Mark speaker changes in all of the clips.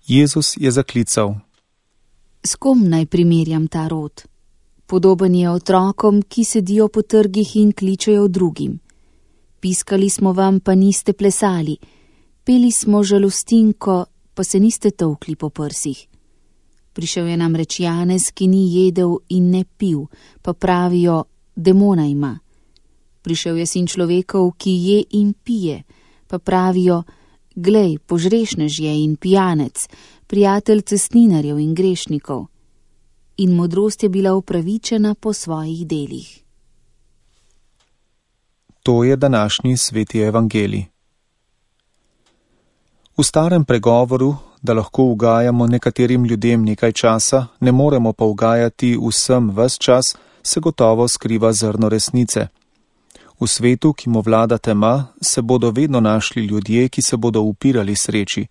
Speaker 1: Jezus je zaklical:
Speaker 2: S kom naj primerjam ta rod? Podoben je otrokom, ki sedijo po trgih in kličejo drugim. Piskali smo vam, pa niste plesali. Peli smo žalostinko, pa se niste tolkli po prsih. Prišel je namreč Janez, ki ni jedel in ne pil, pa pravijo, demona ima. Prišel je sin človekov, ki je in pije, pa pravijo, glej, požrešnež je in pijanec, prijatelj cestninarjev in grešnikov. In modrost je bila upravičena po svojih delih.
Speaker 1: To je današnji sveti evangelij. V starem pregovoru, da lahko ugajamo nekaterim ljudem nekaj časa, ne moremo pa ugajati vsem ves čas, se gotovo skriva zrno resnice. V svetu, ki mu vlada tema, se bodo vedno našli ljudje, ki se bodo upirali sreči.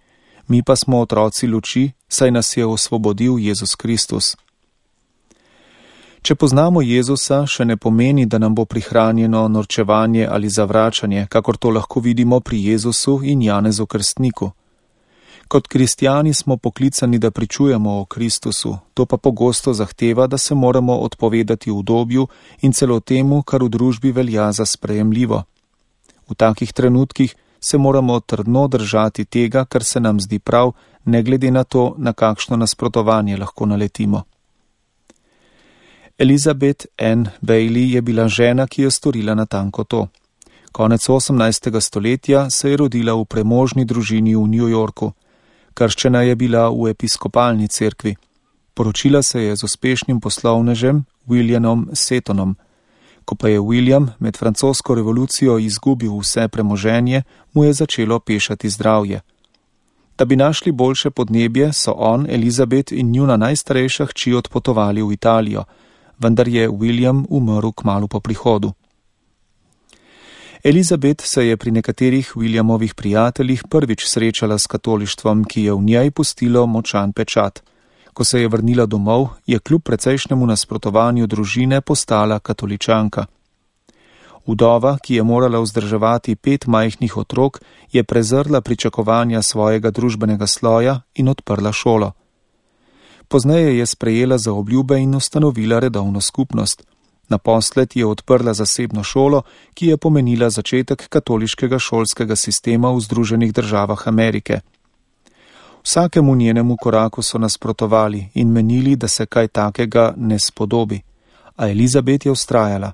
Speaker 1: Mi pa smo otroci luči, saj nas je osvobodil Jezus Kristus. Če poznamo Jezusa, še ne pomeni, da nam bo prihranjeno norčevanje ali zavračanje, kakor to lahko vidimo pri Jezusu in Janezu Krstniku. Kot kristjani smo poklicani, da pričujemo o Kristusu, to pa pogosto zahteva, da se moramo odpovedati udobju in celo temu, kar v družbi velja za sprejemljivo. V takih trenutkih se moramo trdno držati tega, kar se nam zdi prav, ne glede na to, na kakšno nasprotovanje lahko naletimo. Elizabeth Ann Bailey je bila žena, ki je storila natanko to. Konec 18. stoletja se je rodila v premožni družini v New Yorku. Krščena je bila v episkopalni cerkvi. Poročila se je z uspešnim poslovnežem Williamom Setonom. Ko pa je William med francosko revolucijo izgubil vse premoženje, mu je začelo pešati zdravje. Da bi našli boljše podnebje, so on, Elizabeth in njuna najstarejša hči odpotovali v Italijo, vendar je William umrl kmalu po prihodu. Elizabeth se je pri nekaterih Williamovih prijateljih prvič srečala s katolištvom, ki je v njej pustilo močan pečat. Ko se je vrnila domov, je kljub precejšnjemu nasprotovanju družine postala katoličanka. Vdova, ki je morala vzdrževati 5 majhnih otrok, je prezrla pričakovanja svojega družbenega sloja in odprla šolo. Pozneje je sprejela zaobljube in ustanovila redovno skupnost. Naposled je odprla zasebno šolo, ki je pomenila začetek katoliškega šolskega sistema v Združenih državah Amerike. Vsakemu njenemu koraku so nasprotovali in menili, da se kaj takega ne spodobi, a Elizabeth je vztrajala.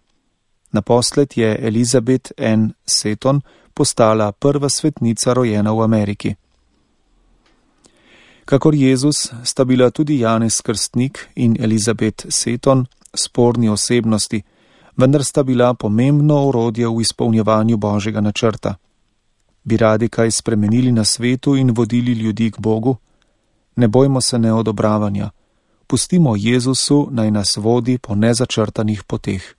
Speaker 1: Naposled je Elizabeth Ann Seton postala prva svetnica rojena v Ameriki. Kakor Jezus sta bila tudi Janez Krstnik in Elizabeth Seton sporni osebnosti, vendar sta bila pomembno orodje v izpolnjevanju Božjega načrta. Bi radi kaj spremenili na svetu in vodili ljudi k Bogu? Ne bojmo se neodobravanja. Pustimo Jezusu, naj nas vodi po nezačrtanih poteh.